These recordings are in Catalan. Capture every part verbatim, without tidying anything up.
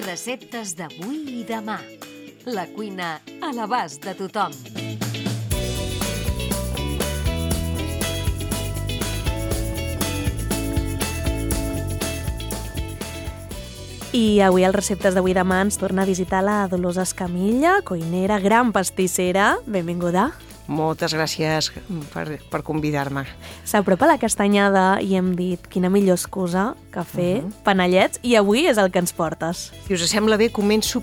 Receptes d'avui i demà. La cuina a l'abast de tothom. I avui als Receptes d'avui i demà ens torna a visitar la Dolors Escamilla, cuinera, gran pastissera. Benvinguda. Moltes gràcies per, per convidar-me. S'apropa la castanyada i hem dit quina millor excusa que fer uh-huh. panellets, i avui és el que ens portes. Si us sembla bé, començo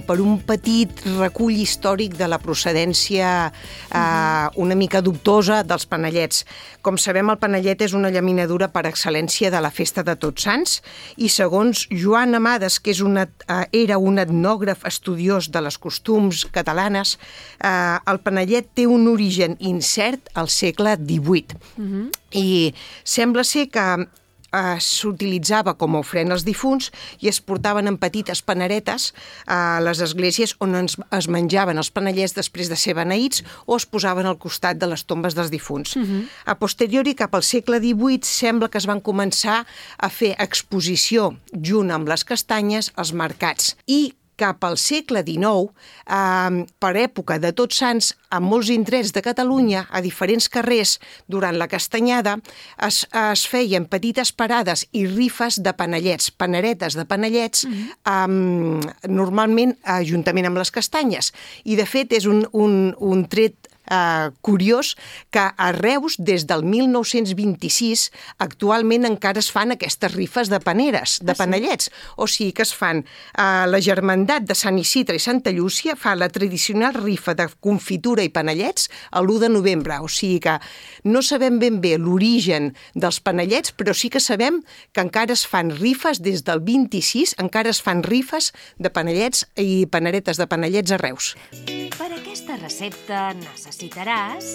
per un petit recull històric de la procedència uh-huh. eh, una mica dubtosa dels panellets. Com sabem, el panellet és una llaminadura per excel·lència de la festa de Tots Sants i segons Joan Amades, que és una, eh, era un etnògraf estudiós de les costums catalanes, eh, el panellet té un origen incert al segle divuit. Uh-huh. I sembla ser que eh, s'utilitzava com a ofrena als difunts i es portaven en petites paneretes a les esglésies on es, es menjaven els panellets després de ser beneïts o es posaven al costat de les tombes dels difunts. Uh-huh. A posteriori, cap al segle divuit, sembla que es van començar a fer exposició junt amb les castanyes als mercats i cap al segle dinou, eh, per època de Tots Sants, a molts indrets de Catalunya, a diferents carrers, durant la castanyada, es, es feien petites parades i rifes de panellets, paneretes de panellets, mm-hmm. eh, normalment juntament amb les castanyes. I, de fet, és un, un, un tret Uh, curiós que a Reus, des del mil nou-cents vint-i-sis, actualment encara es fan aquestes rifes de paneres, de ah, panellets. Sí? O sigui que es fan uh, la Germandat de Sant Isidre i Santa Llúcia fa la tradicional rifa de confitura i panellets l'u de novembre. O sigui que no sabem ben bé l'origen dels panellets, però sí que sabem que encara es fan rifes des del vint-i-sis, encara es fan rifes de panellets i paneretes de panellets a Reus. Per aquesta recepta necessitaràs...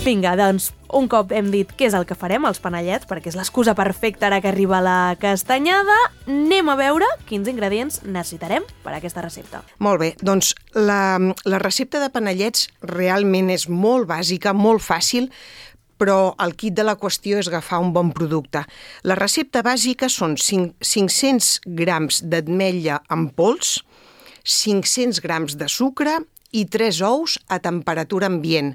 Vinga, doncs, un cop hem dit què és el que farem, els panellets, perquè és l'excusa perfecta ara que arriba la castanyada, anem a veure quins ingredients necessitarem per a aquesta recepta. Molt bé, doncs la, la recepta de panellets realment és molt bàsica, molt fàcil, però el quid de la qüestió és agafar un bon producte. La recepta bàsica són cinc-cents grams d'ametlla en pols, cinc-cents grams de sucre i tres ous a temperatura ambient.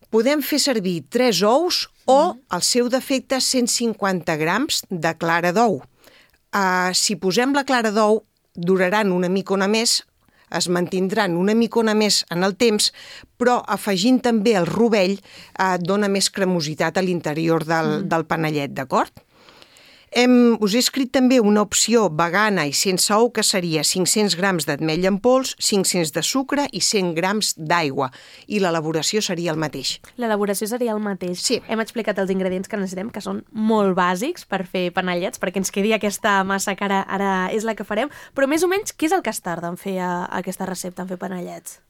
Podem fer servir tres ous o, al seu defecte, cent cinquanta grams de clara d'ou. Uh, si posem la clara d'ou, duraran una micona més, es mantindran una micona més en el temps, però afegint també el rovell eh, dona més cremositat a l'interior del, mm. del panellet, d'acord? Hem, us he escrit també una opció vegana i sense ou, que seria cinc-cents grams d'ametlla en pols, cinc-cents de sucre i cent grams d'aigua. I l'elaboració seria el mateix. L'elaboració seria el mateix. Sí. Hem explicat els ingredients que necessitem, que són molt bàsics per fer panellets, perquè ens quedi aquesta massa que ara, ara és la que farem. Però més o menys, què és el que es tarda en fer a, a aquesta recepta, en fer panellets?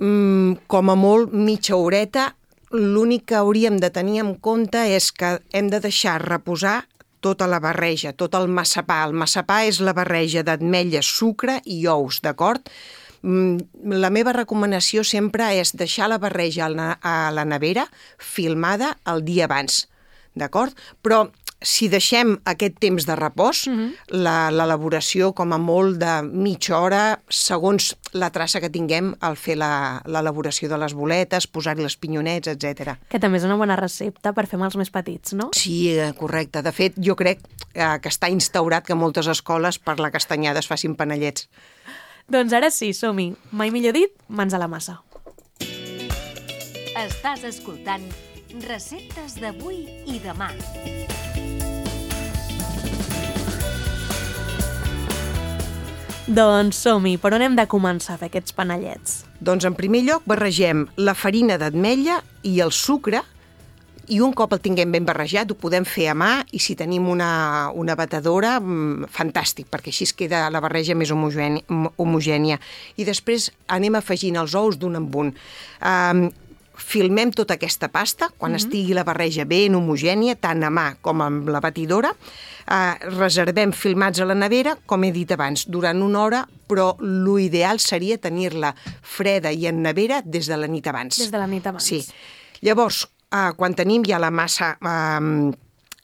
Mm, com a molt, mitja horeta. L'únic que hauríem de tenir en compte és que hem de deixar reposar tota la barreja, tot el massapà. El massapà és la barreja d'ametlla, sucre i ous, d'acord? La meva recomanació sempre és deixar la barreja a la nevera filmada el dia abans, d'acord? Però si deixem aquest temps de repòs, uh-huh. la, l'elaboració com a molt de mitja hora, segons la traça que tinguem al fer la, l'elaboració de les boletes, posar-hi les pinyonets, etcètera. Que també és una bona recepta per fer amb els més petits, no? Sí, correcte. De fet, jo crec que està instaurat que moltes escoles per la castanyada es facin panellets. Doncs ara sí, som-hi. Mai millor dit, mans a la massa. Estàs escoltant Receptes d'avui i demà. Doncs som-hi, per on hem de començar a fer aquests panellets? Doncs en primer lloc barregem la farina d'ametlla i el sucre i un cop el tinguem ben barrejat ho podem fer a mà i si tenim una, una batedora, fantàstic, perquè així es queda la barreja més homogènia. homogènia. I després anem afegint els ous d'un en un. Um, filmem tota aquesta pasta, quan mm-hmm. estigui la barreja ben homogènia, tant a mà com amb la batidora, eh, reservem filmats a la nevera, com he dit abans, durant una hora, però l'ideal seria tenir-la freda i en nevera des de la nit abans. Des de la nit abans. Sí. Llavors, eh, quan tenim ja la massa eh,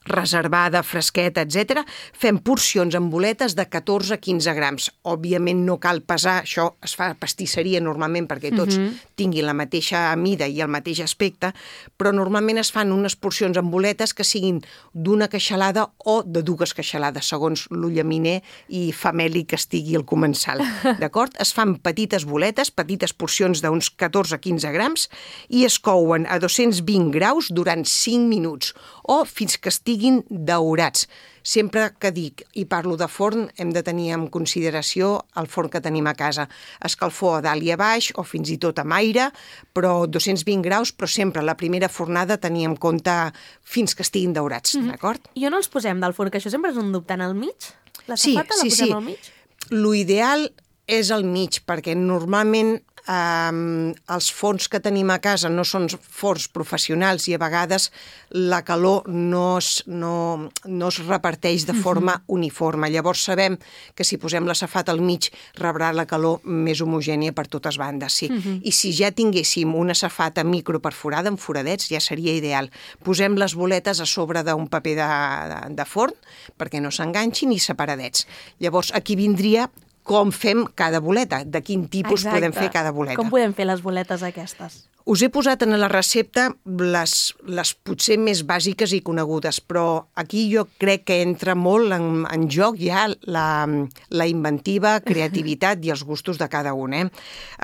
reservada, fresqueta, etcètera, fem porcions amb boletes de catorze a quinze grams. Òbviament no cal pesar, això es fa a pastisseria normalment perquè tots uh-huh. tinguin la mateixa mida i el mateix aspecte, però normalment es fan unes porcions amb boletes que siguin d'una queixalada o de dues queixalades, segons l'ullaminer i famèlic que estigui al comensal. D'acord? Es fan petites boletes, petites porcions d'uns catorze a quinze grams i es couen a dos-cents vint graus durant cinc minuts o fins que estiguin daurats. Sempre que dic i parlo de forn, hem de tenir en consideració el forn que tenim a casa. Escalfor a dalt i a baix, o fins i tot amb aire, però dos-cents vint graus, però sempre la primera fornada tenir en compte fins que estiguin daurats, mm-hmm. d'acord? I on els posem del forn? Que això sempre és un dubte, en el mig? La sí, safata sí, la posem sí. al mig? L'ideal és al mig, perquè normalment Um, els forns que tenim a casa no són forns professionals i a vegades la calor no es, no, no es reparteix de forma uh-huh. uniforme. Llavors sabem que si posem la safata al mig rebrà la calor més homogènia per totes bandes, sí. Uh-huh. I si ja tinguéssim una safata microperforada amb foradets ja seria ideal. Posem les boletes a sobre d'un paper de, de, de forn perquè no s'enganxin i separadets. Llavors aquí vindria com fem cada boleta, de quin tipus Exacte. Podem fer cada boleta. Com podem fer les boletes aquestes? Us he posat en la recepta les, les potser més bàsiques i conegudes, però aquí jo crec que entra molt en, en joc ja la, la inventiva, creativitat i els gustos de cada un. Eh?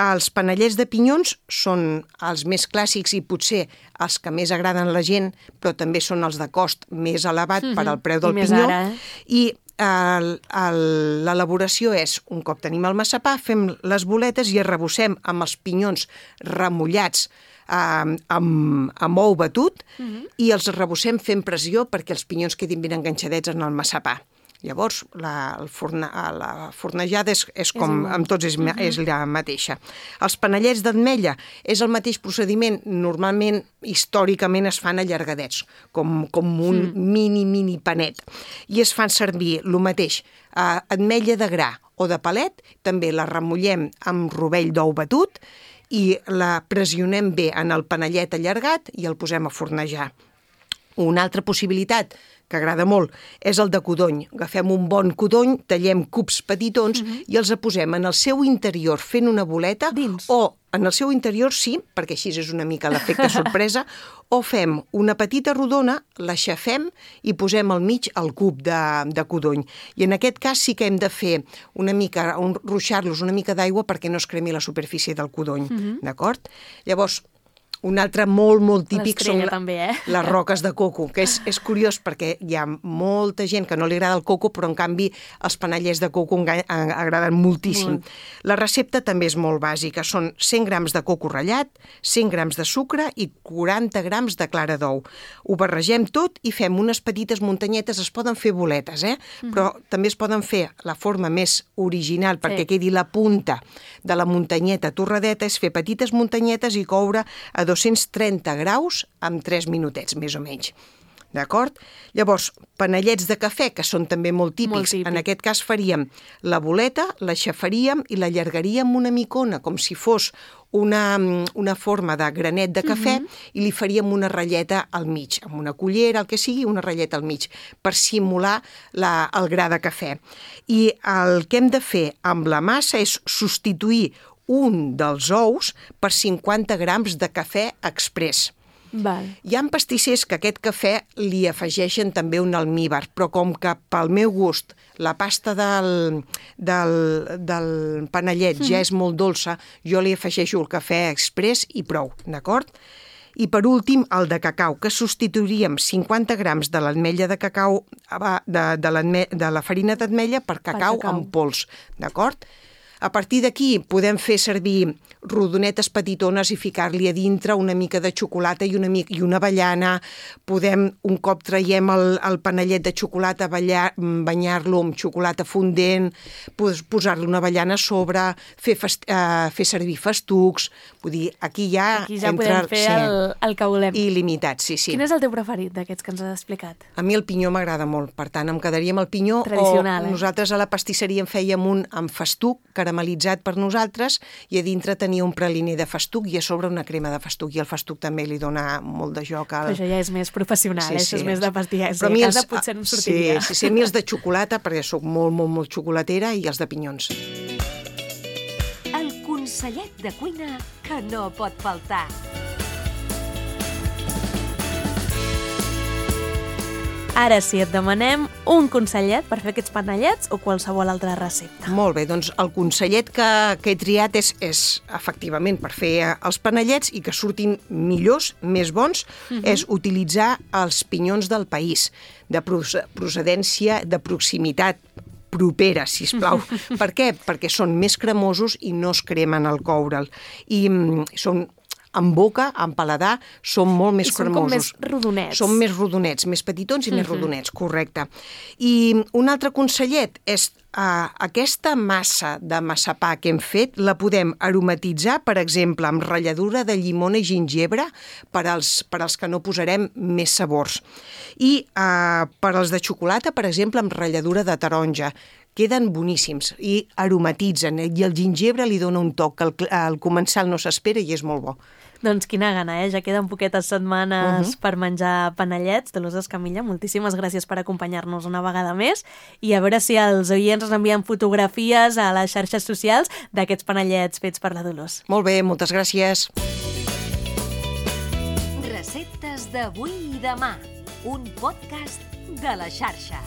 Els panellets de pinyons són els més clàssics i potser els que més agraden a la gent, però també són els de cost més elevat mm-hmm. per al preu del I pinyó. Ara, eh? I l'elaboració és, un cop tenim el massapà, fem les boletes i arrebossem amb els pinyons remullats eh, amb, amb ou batut uh-huh. i els arrebossem fent pressió perquè els pinyons quedin ben enganxadets en el massapà. Llavors, la, el forna, la fornejada és, és com és amb tots és, uh-huh. és la mateixa. Els panellets d'ametlla és el mateix procediment. Normalment, històricament, es fan allargadets, com, com un mm. mini, mini panet. I es fan servir el mateix, eh, ametlla de gra o de palet, també la remullem amb rovell d'ou batut i la pressionem bé en el panellet allargat i el posem a fornejar. Una altra possibilitat que agrada molt, és el de codony. Agafem un bon codony, tallem cubs petitons uh-huh. i els posem en el seu interior fent una boleta dins. O en el seu interior sí, perquè així és una mica l'efecte sorpresa, o fem una petita rodona, l'aixafem i posem al mig el cub de, de codony. I en aquest cas sí que hem de fer una mica, un, ruixar-los una mica d'aigua perquè no es cremi la superfície del codony, uh-huh. d'acord? Llavors, un altre molt, molt típic són la, també, eh? les roques de coco, que és, és curiós perquè hi ha molta gent que no li agrada el coco, però en canvi els panellets de coco agraden moltíssim. Molt. La recepta també és molt bàsica, són cent grams de coco ratllat, cent grams de sucre i quaranta grams de clara d'ou. Ho barregem tot i fem unes petites muntanyetes, es poden fer boletes, eh? Mm-hmm. Però també es poden fer la forma més original perquè sí. quedi la punta de la muntanyeta torradeta, és fer petites muntanyetes i coure a dos-cents trenta graus amb tres minutets, més o menys. D'acord? Llavors, panellets de cafè, que són també molt típics. Molt típic. En aquest cas faríem la boleta, l'aixafaríem i l'allargaríem una micona, com si fos una, una forma de granet de cafè, uh-huh. i li faríem una ratlleta al mig, amb una cullera, el que sigui, una ratlleta al mig, per simular la, el gra de cafè. I el que hem de fer amb la massa és substituir un dels ous per cinquanta grams de cafè express. Val. Hi ha pastissers que aquest cafè li afegeixen també un almíbar, però com que pel meu gust la pasta del, del, del panellet mm. ja és molt dolça, jo li afegeixo el cafè express i prou, d'acord? I per últim, el de cacau, que substituiríem cinquanta grams de l'ametlla de cacau, de, de, de la farina d'ametlla per cacau, per cacau en pols, d'acord? A partir d'aquí podem fer servir rodonetes petitones i ficar-li a dintre una mica de xocolata i una, mica, i una avellana. Podem, un cop traiem el, el panellet de xocolata, banyar-lo amb xocolata fondent, posar-li una avellana a sobre, fer, fest, uh, fer servir festucs. Vull dir, aquí ja, aquí ja entra, podem fer sí, el, el que volem. Il·limitat, sí, sí. Quin és el teu preferit d'aquests que ens has explicat? A mi el pinyó m'agrada molt, per tant em quedaria amb el pinyó. Tradicional, o eh? Nosaltres a la pastisseria en fèiem un amb festuc, caramelitzat per nosaltres i a dintre tenia un praliner de festuc i a sobre una crema de festuc, i el festuc també li dona molt de joc. Al... Però això ja és més professional, sí, això sí, és més de pastillar. Però a mi els... potser no em sortiria. Sí, sí, sí, a mi els de xocolata, perquè sóc molt, molt, molt xocolatera, i els de pinyons. El consellet de cuina que no pot faltar. Ara sí, et demanem un consellet per fer aquests panellets o qualsevol altra recepta. Molt bé, doncs el consellet que, que he triat és, és efectivament per fer els panellets i que surtin millors, més bons, uh-huh. és utilitzar els pinyons del país, de procedència, de proximitat, propera, sisplau. Per què? Perquè són més cremosos i no es cremen al coure'l. I mm, són... en boca, en paladar, són molt més cremosos. I són com més rodonets. Són més rodonets, més petitons i uh-huh. més rodonets, correcte. I un altre consellet és uh, aquesta massa de massapà que hem fet, la podem aromatitzar, per exemple, amb ratlladura de llimona i gingebre per als, per als que no posarem més sabors. I uh, per als de xocolata, per exemple, amb ratlladura de taronja. Queden boníssims i aromatitzen, i el gingebre li dona un toc que al, al començar no s'espera i és molt bo. Doncs quina gana, eh? Ja queden poquetes setmanes uh-huh. per menjar panellets. Dolors Escamilla, moltíssimes gràcies per acompanyar-nos una vegada més i a veure si els oients ens envien fotografies a les xarxes socials d'aquests panellets fets per la Dolors. Molt bé, moltes gràcies. Receptes d'avui i demà, un podcast de la xarxa.